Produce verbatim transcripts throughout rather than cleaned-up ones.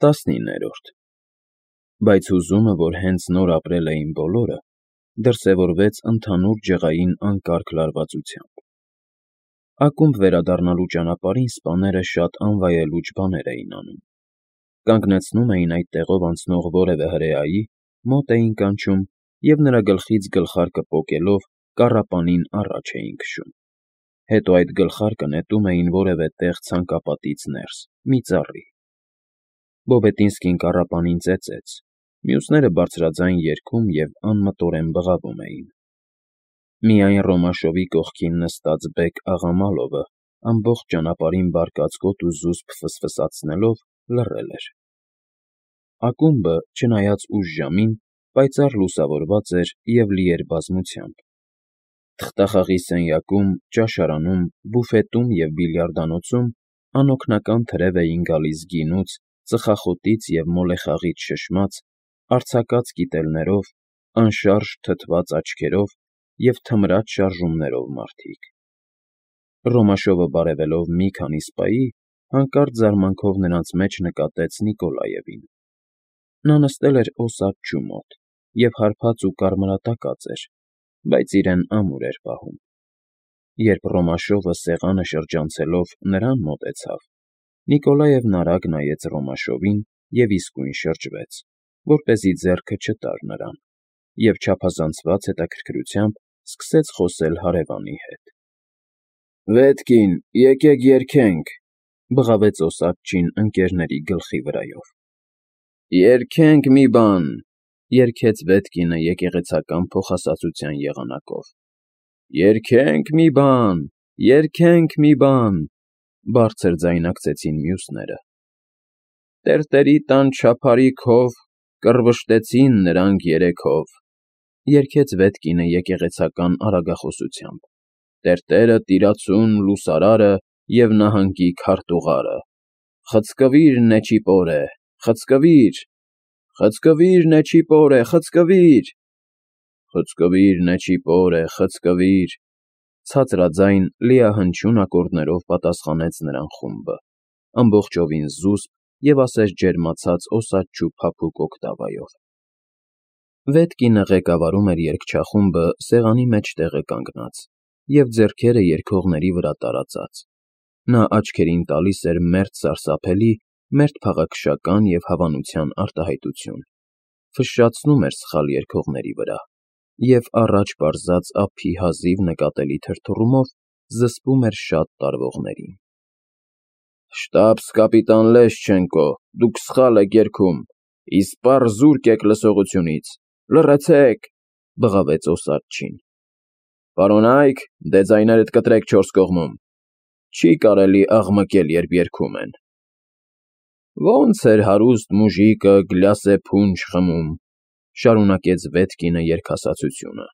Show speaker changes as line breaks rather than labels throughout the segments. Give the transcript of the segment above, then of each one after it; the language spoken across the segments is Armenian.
Տասնիններորդ Բայց հուզումը, որ հենց նոր ապրել էին բոլորը, դրսևորվեց ընդհանուր ջղային անկարգ լարվածությամբ. ակումբ վերադառնալու ճանապարհին սպաները շատ անվայելուչ բաներ էին անում. կանգնեցնում էին այդ տեղով անցնող որևէ հրեայի, մոտ էին կանչում և նրա գլխից գլխարկը պոկելով կառապանին առաջ էին քշում, հետո այդ գլխարկը նետում էին որևէ տեղ ցանկապատից ներս, մի ծառի. Բոբետինսկին կառապանին ծեծեց, մյուսները բարձրաձայն երգում և անմտորեն բղավում էին. միայն Ռոմաշովի կողքին նստած բեկ Աղամալովը ամբողջ ճանապարհին բարկացկոտ ու զուսպ ֆսֆսացնելով լռել էր. ակումբը, չնայած ուշ ժամին, պայծառ լուսավորված էր և լի էր բազմությամբ. թղթախաղի սենյակում, ճաշարանում, բուֆետում և բիլիարդանոցում անօգնական թրև էին գալիս գինուց, ծխախոտից և մոլեխաղից շշմած, արձակած կիտելներով, անշարժ թթված աչքերով և թմրած շարժումներով մարդիկ. Ռոմաշովը բարևելով մի քանի սպայի, հանկարծ զարմանքով նրանց մեջ նկատեց Նիկոլաևին. նա նստել էր օսաչուի մոտ և հարբած ու կարմրատակած էր, բայց իրեն ամուր էր պահում. Երբ Ռոմաշովը սեղանը շրջանցելով նրան մոտեցավ, Նիկոլաևն արագ նայեց Ռոմաշովին և իսկույն շրջվեց, որպեսզի ձեռքը չտար նրան, և չափազանցված հետաքրքրությամբ սկսեց խոսել հարևանի հետ. ֊ Վետկին, եկեք երգենք,֊ բղավեց օսաչին ընկերների գլխի վրայով։ ֊ Երգենք մի բան,֊ երգեց Վետկինը եկեղեցական փոխասացության եղանակով։ ֊ Երգենք մի բան, երգենք մի բան,֊ բարձր ձայնարկեցին մյուսները։ Տերտերի տան չափարիքով կռվշտեցին նրանք երեքով,֊ երգեց Վետկինը եկեղեցական արագախոսությամբ,֊ տերտերը տիրացուն լուսարարը և նահանգի քարտուղարը, խցկվիր Նեչիպորե, խցկվիր, խցկվիր Նեչիպորե, խցկվիր, խցկվիր Նեչիպորե, խցկվիր, ցածրաձայն լիահնչյուն ակորդներով պատասխանեց նրան խումբը, ամբողջովին զուսպ և ասես ջերմացած օսաչու փափուկ օկտավայով։ Վետկինը ղեկավարում էր երգչախումբը սեղանի մեջտեղը կանգնած և ձեռքերը երգողների վրա տարածած. նա աչքերին տալիս էր մերթ սարսափելի, մերթ փաղաքշական և հավանության արտահայտություն, ֆշշացնում էր սխալ երգողների վրա և, առաջ պարզած ափի հազիվ նկատելի թրթռումով, զսպում էր շատ տարվողներին։ ֊ Շտաբս֊կապիտան Լեշչենկո, դուք սխալ եք երգում, իսպառ զուրկ եք լսողությունից, լռեցեք,֊ բղավեց օսաչին։ ֊ Պարոնա՛յք, դե ձայներդ կտրեք չորս կողմում, չի կարելի աղմկել, երբ երգում են։ ֊ Ոնց էր հարուստ մուժիկը գլյասե փունջ խմում,֊ շարունակեց Վետկինը երգասացությունը։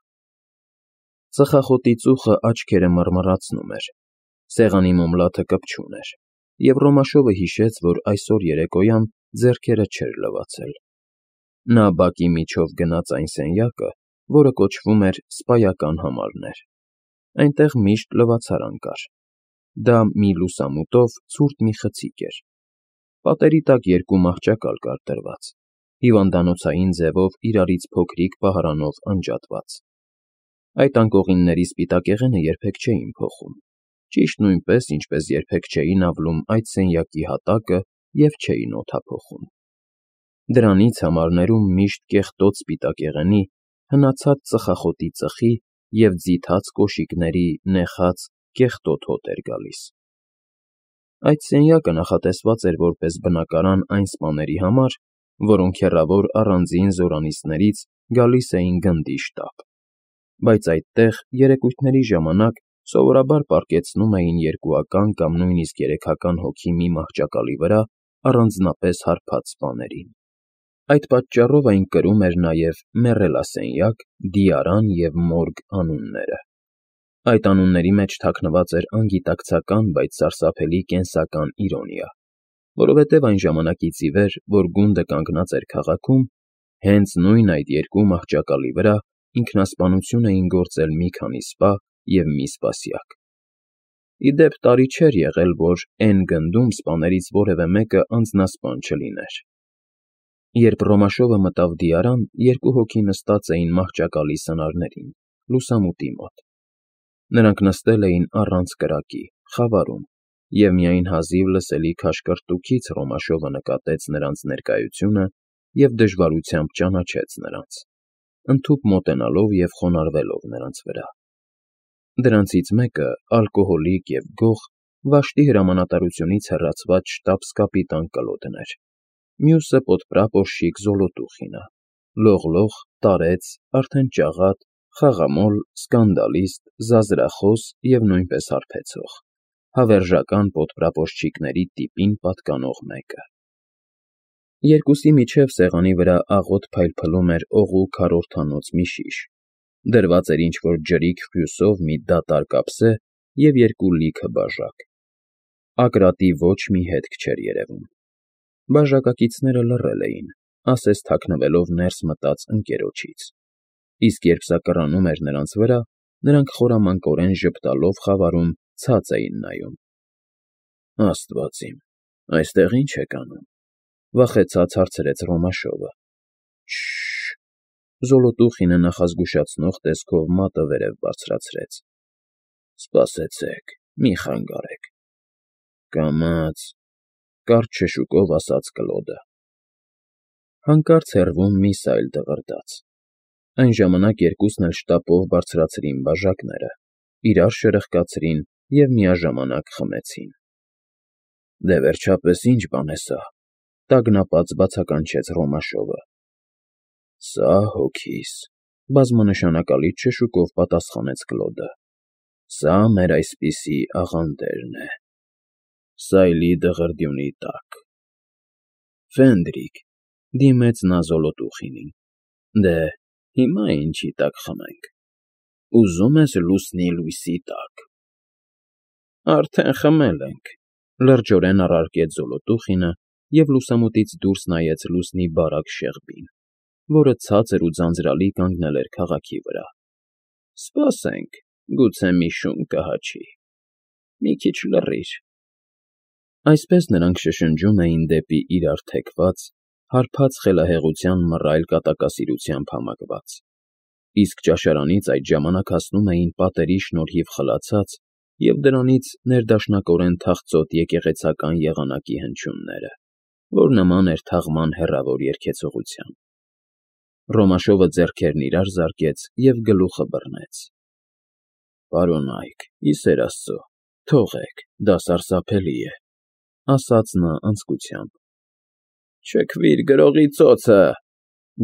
Ծխախոտի ծուխը աչքերը մռմռացնում էր, սեղանի մոմլաթը կպչուն էր, և Ռոմաշովը հիշեց, որ այսօր երեկոյան ձեռքերը չէր լվացել։ Նա բակի միջով գնաց այն սենյակը, որը կոչվում էր սպայական համարներ. այնտեղ միշտ լվացարան կար. դա մի լուսամուտով ցուրտ մի խցիկ էր. պատերի տակ երկու մահճակալ կար դրված, հիվանդանոցային ձևով իրարից փոքրիկ պահարանով անջատված։ Այդ անկողինների սպիտակեղենը երբեք չէին փոխում, ճիշտ նույնպես, ինչպես երբեք չէին ավլում այդ սենյակի հատակը և չէին օդափոխում։ Դրանից համարներում միշտ կեղտոտ սպիտակեղենի, հնացած ծխախոտի ծխի և ձիթած կոշիկների նեխած, կեղտոտ հոտ էր գալիս։ Այդ սենյակը նախատեսված էր որպես բնակարան այն սպաների համար, որոնք հեռավոր առանձին զորանոցներից գալիս էին գնդի շտապ, բայց այդտեղ երեկույթների ժամանակ սովորաբար պառկեցնում էին երկուական կամ նույնիսկ երեքական հոգի մի մահճակալի վրա առանձնապես հարբած սպաներին։ Այդ պատճառով այն կրում էր նաև մեռելասենյակ, դիարան և մորգ անունները։ Այդ անունների մեջ թաքնված էր անգիտակցական, բայց սարսափելի կենսական իրոնիա, որովհետև այն ժամանակից ի վեր, որ գունդը կանգնած էր քաղաքում, հենց նույն այդ երկու մահճակալի վրա ինքնասպանություն էին գործել մի քանի սպա և մի սպասյակ։ Ի դեպ, տարի չէր եղել, որ Էն գնդում սպաներից որևէ մեկը անձնասպան չլիներ։ Երբ Ռոմաշովը մտավ դիարան, երկու հոգի նստած էին մահճակալի սնարներին, լուսամուտի մոտ. նրանք նստել էին առանց կրակի, խավարում, և միայն հազիվ լսելի քաշքրտուքից Ռոմաշովը նկատեց նրանց ներկայությունը և դժվարությամբ ճանաչեց նրանց, ընդհուպ մոտենալով և խոնարհվելով նրանց վրա. դրանցից մեկը, ալկոհոլիկ և գող, Վաշտի հրամանատարությունից հեռացված շտաբս֊կապիտան Կլոդն էր, մյուսը պոդպրապորշիկ Զոլոտուխինը, լողլող, տարեց, արդեն ճաղատ, խաղամոլ, սկանդալիստ, զազրախոս և նույնպես հարբեցող, հավերժական պոդպրապորշչիկների տիպին պատկանող մեկը։ Երկուսի միջև սեղանի վրա աղոտ փայլփլում էր օղու քառորդանոց մի շիշ, դրված էր ինչ֊որ ջրիկ ֆլյուսով մի դատարկ ափսե և երկու լիքը բաժակ. Ակրատի ոչ մի հետք չէր երևում։ Բաժակակիցները լռել էին, ասես թաքնվելով ներս մտած ընկերոջից, իսկ երբ սա կռանում էր նրանց վրա, նրանք խորամանկորեն ժպտալով խավարում ցած էին նայում։ ֊ Աստված իմ, այստեղ ի՞նչ եք անում,֊ վախեցած հարցրեց Ռոմաշովը։ ֊ Շշ… Զոլոտուխինը նախազգուշացնող տեսքով մատը վերև բարձրացրեց։ ֊ Սպասեցեք, մի խանգարեք,֊ կամաց…֊ կարճ շշուկով ասաց Կլոդը։ Հանկարծ հեռվում մի սայլ դղրդաց։ Այն ժամանակ երկուսն էլ շտապով բարձրացրին բաժակները, իրար շրխկացրին և միաժամանակ խմեցին։ ֊ Դե, վերջապես, ի՞նչ բան է սա,֊ տագնապած բացականչեց Ռոմաշովը։ ֊ Սա հոգիս,֊ բազմանշանակալից շշուկով պատասխանեց Կլոդը,֊ սա մեր այսպիսի աղանդերն է… Սայլի դղրդյունի տակ… Ֆենդրիկ,֊ դիմեց նա Զոլոտուխինին,֊ դե, հիմա ինչի տակ խմենք… Ուզո՞ւմ ես լուսնի լույսի տակ… Արդեն խմել ենք,֊ լրջորեն առարկեց Զոլոտուխինը և լուսամուտից դուրս նայեց լուսնի բարակ շեղբին, որը ցածր ու ձանձրալի կանգնել էր քաղաքի վրա։ ֊ Սպասենք, գուցե մի շուն կհաչի… Մի քիչ լռիր… Այսպես նրանք շշնջում էին դեպի իրար թեքված, հարբած խելահեղության մռայլ կատակասիրությամբ համակված, իսկ ճաշարանից այդ ժամանակ հասնում էին պատերի շնորհիվ խլացած և դրանից ներդաշնակորեն թախծոտ եկեղեցական եղանակի հնչյունները, որ նման էր թաղման հեռավոր երգեցողության։ Ռոմաշովը ձեռքերն իրար զարկեց և գլուխը բռնեց։ ֊ Պարոնայք, ի սեր Աստծո, թողեք, դա սարսափելի է,֊ ասաց նա անձկությամբ։ ֊ Չքվիր գրողի ծոցը,֊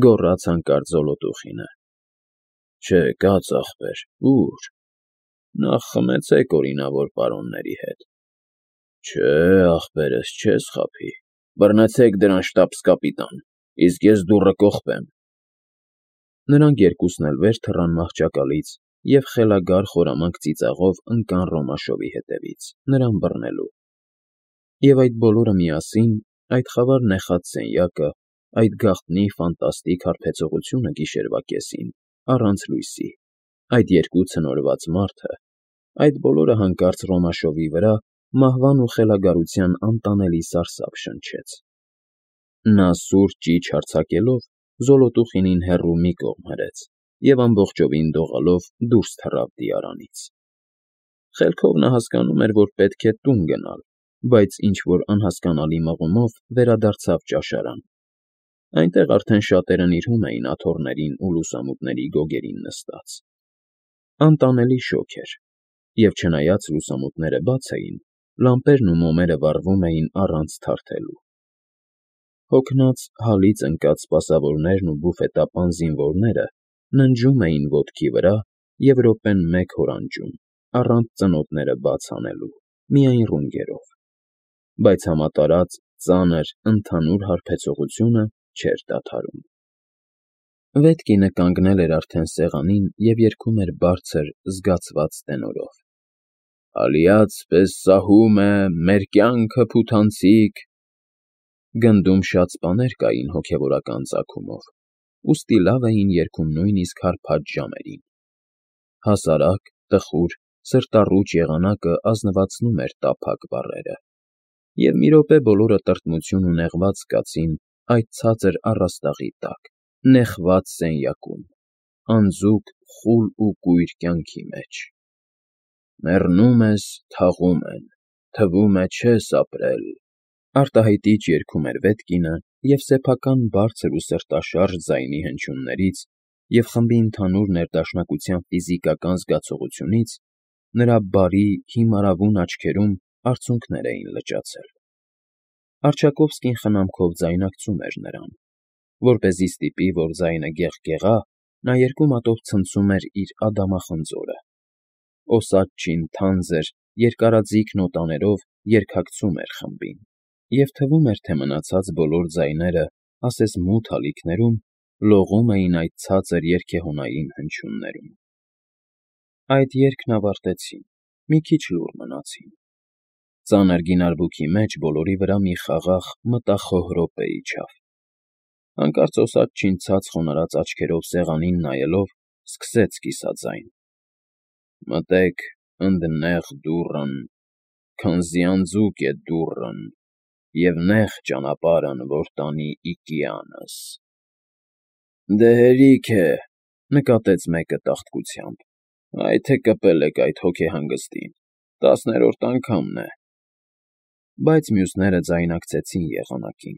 գոռաց հանկարծ Զոլոտուխինը։ ֊ Չէ, կաց ախպեր, ո՞ւր… Նախ խմեցեք օրինավոր պարոնների հետ… Չէ, ախպերս, չես խաբի… Բռնեցեք դրան, շտաբս֊կապիտան, իսկ ես դուռը կողպեմ… Նրանք երկուսն էլ վեր թռան մահճակալից և խելագար խորամանկ ծիծաղով ընկան Ռոմաշովի հետևից, նրան բռնելու… Եվ այդ բոլորը միասին, այդ խավար նեխած սենյակը, այդ գաղտնի ֆանտաստիկ հարբեցողությունը գիշերվա կեսին, առանց լույսի, այդ երկու ցնորված մարդը, այդ բոլորը հանկարծ Ռոմաշովի վրա մահվան ու խելագարության անտանելի սարսափ շնչեց… Նա սուր ճիչ հարձակելով Զոլոտուխինին հեռու մի կողմ հրեց և ամբողջովին դողալով դուրս թռավ դիարանից… Խելքով նա հասկանում էր, որ պետք է տուն գնալ, բայց ինչ֊որ անհասկանալի մղումով վերադարձավ ճաշարան… Այնտեղ արդեն շատերը նիրհում էին աթոռներին ու լուսամուտների գոգերին նստած… Անտանելի շոգ էր, և չնայած լուսամուտները բաց էին, լամպերն ու մոմերը վառվում էին առանց թարթելու… Հոգնած, հալից ընկած սպասավորներն ու բուֆետապան զինվորները ննջում էին ոտքի վրա և րոպեն մեկ հորանջում, առանց ծնոտները բաց անելու, միայն ռունգերով… Բայց համատարած, ծանր, ընդհանուր հարբեցողությունը չէր դադարում… Վետկինը կանգնել էր արդեն սեղանին և երգում էր բարձր, զգացված տենորով. Ալիաց պես սահում է, մեր կյանքը փութանցիկ… Գնդում շատ սպաներ կային հոգևորական ծագումով, ուստի լավ էին երգում նույնիսկ հարբած ժամերին… Հասարակ, տխուր, սրտառուչ եղանակը ազնվացնում էր տափակ բառերը, և մի րոպե բոլորը տրտմություն ու նեղված զգացին այդ ցածր առաստաղի տակ, նեխված սենյակում, անձուկ, խուլ ու կույր կյանքի մեջ։ Մեռնում ես, թաղում են, թվում է չես ապրել, արտահայտիչ երգում էր Վետկինը, և սեփական բարձր ու սրտաշարժ ձայնի հնչյուններից և խմբի ընդհանուր ներդաշնակության ֆիզիկական զգացողությունից նրա բարի, հիմարավուն աչքերում արցունքներ էին լճացել։ Արչակովսկին խնամքով ձայնակցում էր նրան։ Որպեսզի ստիպի, որ ձայնը գեղգեղա, նա երկու մատով ցնցում էր իր ադամախնձորը։ Օսաչին թանձր, երկարաձիգ նոտաներով երգակցում էր խմբին, և թվում էր, թե մնացած բոլոր ձայները, ասես մութ ալիքներում, լողում էին այդ ցածր երգեհոնային հնչյուններում։ Այդ երգն ավարտեցին, մի քիչ լուռ մնացին։ Ծանր գինարբուքի մեջ բոլորի վրա մի խաղաղ մտախոհ րոպե իջավ։ Հանկարծ Օսաչին ցած խոնարհած աչքերով սեղանին նայելով, սկսեց կիսաձայն. «Մտեք ընդնեղ դուռն, քանզի անձուկ է դուռն, և նեղ ճանապարհն, որ տանի οικիանս»։ «Դե հերիք է,֊ նկատեց մեկը տաղտկությամբ,֊ այ թե կպել եք այդ հոգեհանգստին, տասներորդ անգամն է»։ Բայց մյուսները ձայնակցեցին եղանակին,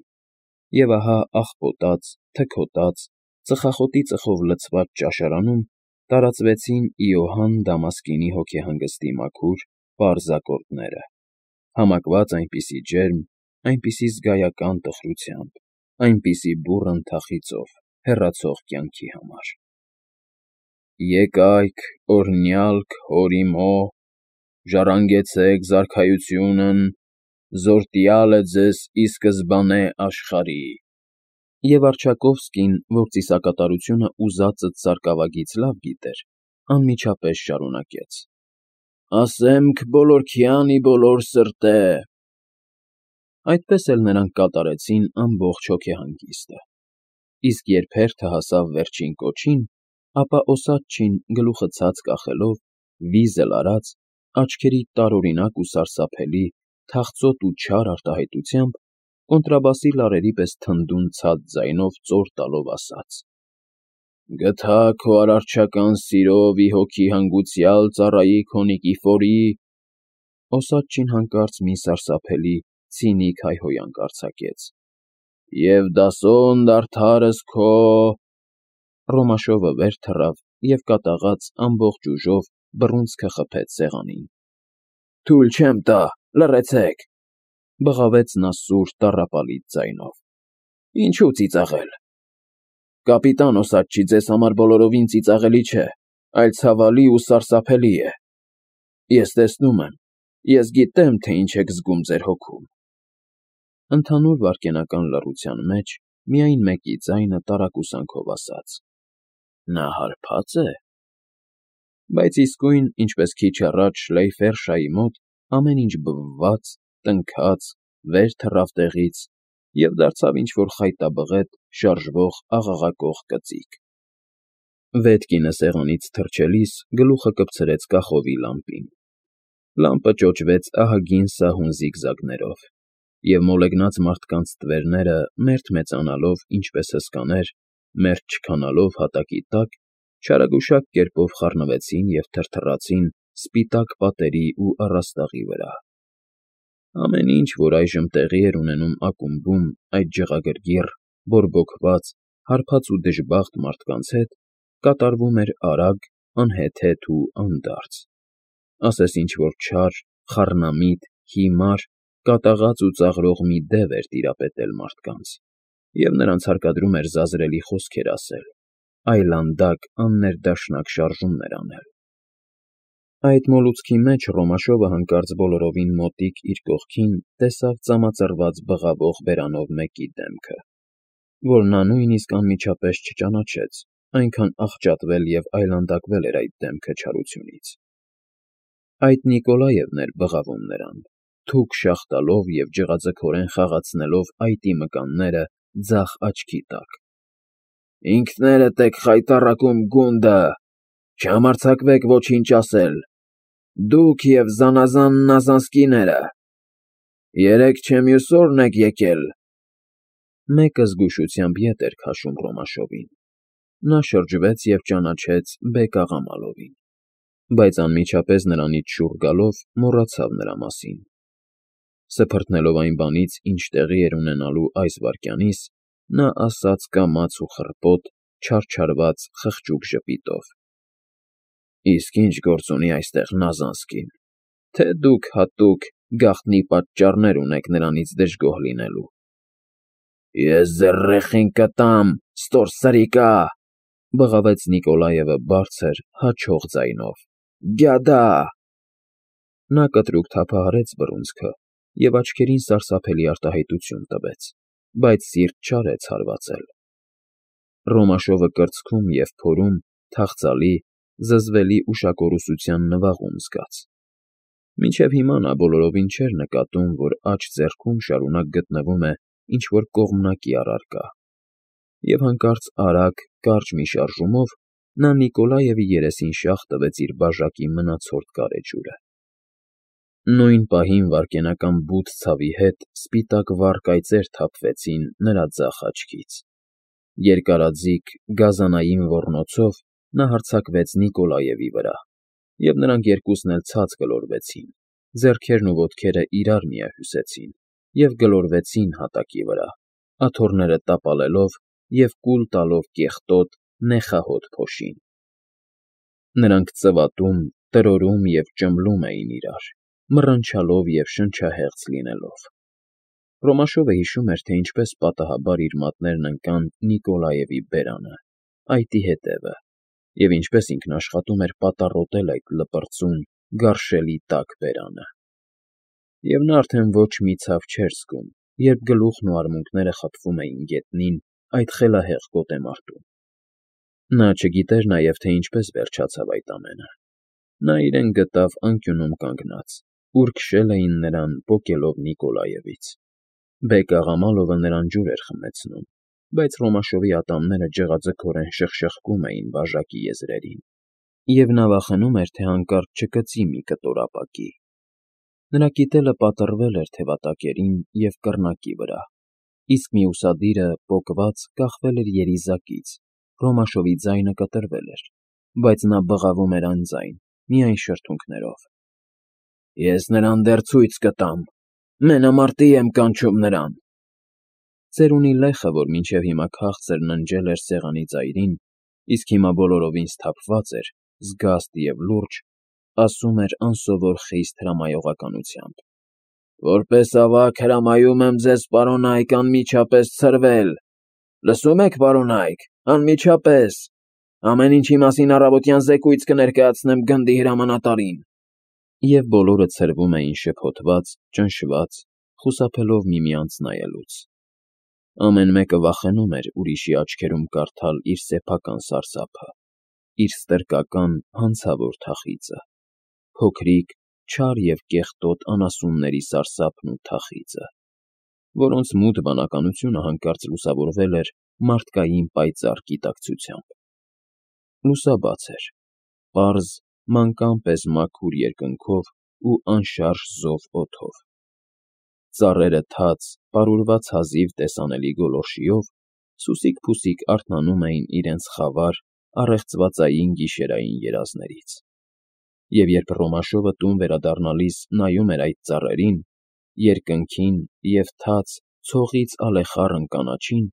և ահա աղպոտած, թքոտած, ծխախոտի ծխով լցված ճաշարանում տարածվեցին Իոհան Դամասկինի հոգեհանգստի մաքուր, պարզ ակորդները, համակված այնպիսի ջերմ, այնպիսի զգայական տխրությամբ, այնպիսի բուռն թախիծով, հեռացող կյանքի համար. Եկայք, օրհնյալք հորիմո, ժառանգեցեք զարքայությունն, զորտյալ է ձեզ ի սկզբանե աշխարհի։ Եվ Արչակովսկին, որ ծիսակատարությունը ուզածդ սարկավագից լավ գիտեր, անմիջապես շարունակեց. ասեմք բոլորքյանի բոլոր սրտե։ Այդպես էլ նրանք կատարեցին ամբողջ հոգեհանգիստը, իսկ երբ հերթը հասավ վերջին կոչին, ապա Օսաչին, գլուխը ցած կախելով, վիզլ արած, աչքերի տարօրինակ ու սարսափելի, թախծոտ ու չար արտահայտությամբ, կոնտրաբասի լարերի պես թնդուն ցած ձայնով ծոր տալով ասաց. «Գթա քո արարչական սիրով ի հոգի հանգուցյալ ծառայի քո Նիկիֆորի…» Օսաչին հանկարծ մի սարսափելի, ցինիկ հայհոյանք արձակեց. «և դասոն դադարս քո…» Ռոմաշովը վեր թռավ և կատաղած ամբողջ ուժով բռունցքը խփեց սեղանին։ «Թույլ չեմ տա, լռեցեք,֊ բղավեց նա սուր, տառապալից ձայնով,֊ ինչո՞ւ ծիծաղել… Կապիտան Օսաչի, ձեզ համար բոլորովին ծիծաղելի չէ, այլ ցավալի ու սարսափելի է… Ես տեսնում եմ, ես գիտեմ, թե ինչ եք զգում ձեր հոգում»։ Ընդհանուր վայրկենական լռության մեջ միայն մեկի ձայնը տարակուսանքով ասաց. «Նա հարբա՞ծ է»։ Բայց իսկույն, ինչպես քիչ առաջ Շլեյֆերշայի մոտ, ամեն ինչ բվաց, տնքաց, վեր թռավ տեղից և դարձավ ինչ֊որ խայտաբղետ, շարժվող, աղաղակող կծիկ։ Վետկինը սեղանից թռչելիս գլուխը կպցրեց կախովի լամպին։ Լամպը ճոճվեց ահագին սահուն զիգզագներով, և մոլեգնած մարդկանց ստվերները, մերթ մեծանալով, ինչպես հսկաներ, մերթ չքանալով հատակի տակ, չարագուշակ կերպով խառնվեցին և թրթռացին սպիտակ պատերի ու առաստաղի վրա։ Ամեն ինչ, որ այժմ տեղի էր ունենում ակումբում այդ ջղագրգիռ, բորբոքված, հարբած ու դժբախտ մարդկանց հետ, կատարվում էր արագ, անհեթեթ ու անդարձ, ասես ինչ֊որ չար, խառնամիտ, հիմար, կատաղած ու ծաղրող մի դև էր տիրապետել մարդկանց, և նրանց հարկադրում էր զազրելի խոսքեր ասել, այլանդակ, աններդաշնակ շարժումներ անել։ Այդ մոլուցքի մեջ Ռոմաշովը հանկարծ բոլորովին մոտիկ իր կողքին տեսավ ծամածռված բղավող բերանով մեկի դեմքը, որ նա նույնիսկ անմիջապես չճանաչեց, այնքան աղճատվել և այլանդակվել էր այդ դեմքը չարությունից։ Այդ Նիկոլաևն էր բղավում նրան, թուկ շաղ տալով և ջղաձգորեն խաղացնելով այտի մկանները ձախ աչքի տակ։ «Ինքներդ եք խայտառակում գունդը, չհամարձակվեք ոչինչ ասել, դուք և զանազան Նազանսկիները… Երեկ չէ մյուս օրն եք եկել… Մեկը զգուշությամբ ետ էր քաշում Ռոմաշովին։ Նա շրջվեց և ճանաչեց Բեկ֊աղա Մալովին, բայց անմիջապես նրանից շուռ գալով մոռացավ նրա մասին։ Սփռտնելով այն բանից, ինչ տեղի էր ունենալու այս վայրկյանիս, նա ասաց կամաց ու խռպոտ, չարչարված խղճուկ ժպիտով. «Իսկ ի՞նչ գործ ունի այստեղ Նազանսկին, թե դուք հատուկ գաղտնի պատճառներ ունեք նրանից դժգոհ լինելու»։ «Ես ձեր ռեխին կտամ, ստորսրիկա՜», բղավեց Նիկոլաևը բարձր, հաչող ձայնով։ «Գյադա՜»։ Նա կտրուկ թափահարեց բռունցքը և աչքերին սարսափելի արտահայտություն տվեց, բայց սիրտ չարեց հարվածել։ Ռոմաշովը կրծքում և փորում թախծալի, զզվելի ուշակորուսության նվաղում զգաց։ Մինչև հիմա նա բոլորովին չէր նկատում, որ աջ ձեռքում շարունակ գտնվում է ինչ֊որ կողմնակի առարկա, և հանկարծ արագ, կարճ մի շարժումով նա Նիկոլաևի երեսին շաղ տվեց իր բաժակի մնացորդ գարեջուրը։ Նույն պահին վայրկենական բութ ցավի հետ սպիտակ վառ կայծեր թափվեցին նրա ձախ աչքից։ Երկարաձիգ, գազանային ոռնոցով նա հարձակվեց Նիկոլաևի վրա, և նրանք երկուսն էլ ցած գլորվեցին, ձեռքերն ու ոտքերը իրար միահյուսեցին և գլորվեցին հատակի վրա, աթոռները տապալելով և կուլ տալով կեղտոտ, նեխահոտ փոշին։ Նրանք ծվատում, տրորում և ճմլում էին իրար, մռնչալով և շնչահեղձ լինելով։ Ռոմաշովը հիշում էր, թե ինչպես պատահաբար իր մատներն ընկան Նիկոլաևի բերանը, այտի հետևը, և ինչպես ինքն աշխատում էր պատառոտել այդ լպրծուն, գարշելի տաք բերանը։ Եվ նա արդեն ոչ մի ցավ չէր զգում, երբ գլուխն ու արմունկները խփվում էին գետնին այդ խելահեղ գոտեմարտում։ Նա չգիտեր նաև, թե ինչպես վերջացավ այդ ամենը։ Նա իրեն գտավ անկյունում կանգնած, ուր քշել էին նրան պոկելով Նիկոլաևից։ Բեկ֊աղա նրան ջուր էր խմեցնում, բայց Ռոմաշովի ատամները ջղաձգորեն շխշխկում էին բաժակի եզրերին, և նա վախենում էր, թե հանկարծ չկծի մի կտոր ապակի։ Նրա կիտելը պատռվել էր թևատակերին և կռնակի վրա, իսկ մյուս ադիրը, պոկված, կախվել էր երիզակից, Ռոմաշովի ձայնը կտրվել էր, բայց նա բղավում էր անձայն, միայն շրթունքներով։ «Ես նրան դեռ ցույց կտամ, մենամարտի եմ կանչում նրան»։ Ծերունի լեխը, որ մինչև հիմա քաղցր ննջել էր սեղանի ծայրին, իսկ հիմա բոլորովին սթափված էր, զգաստ և լուրջ, ասում էր անսովոր խիստ հրամայողականությամբ. «Որպես ավագ հրամայում եմ ձեզ, պարոնայք, անմիջապես ցրվել։ Լսո՞ւմ եք, պարոնայք, անմիջապես։ Ամեն ինչի մասին առավոտյան զեկույց կներկայացնեմ գնդի հրամանատարին»։ Եվ բոլորը ցրվում էին շփոթված, ճնշված, խուսափելով միմյանց նայելուց։ Ամեն մեկը վախենում էր ուրիշի աչքերում կարդալ իր սեփական սարսափը, իր ստրկական, հանցավոր թախիծը, փոքրիկ, չար և կեղտոտ անասունների սարսափն ու թախիծը, որոնց մութ բանականությունը հանկարծ լուսավորվել էր մարդկային պայծառ գիտակցությամբ։ Լուսաբաց էր, պարզ, մանկան պես մաքուր երկնքով ու անշարժ զով օդով։ Ծառերը թաց, պարուրված հազիվ տեսանելի գոլորշիով սուսիկ֊փուսիկ արթնանում էին իրենց խավար, առեղծվածային գիշերային երազներից։ Եվ երբ Ռոմաշովը տուն վերադառնալիս նայում էր այդ ծառերին, երկնքին և թաց, ցողից ալեխառն կանաչին,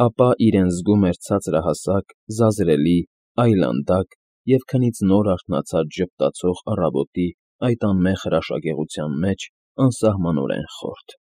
ապա իրեն զգում էր ցածրահասակ, զազրելի, այլանդակ և քնից նոր արթնացած ժպտացող առավոտի այդ անմեղ հրաշագեղության մեջ անսահմանորեն խորթ։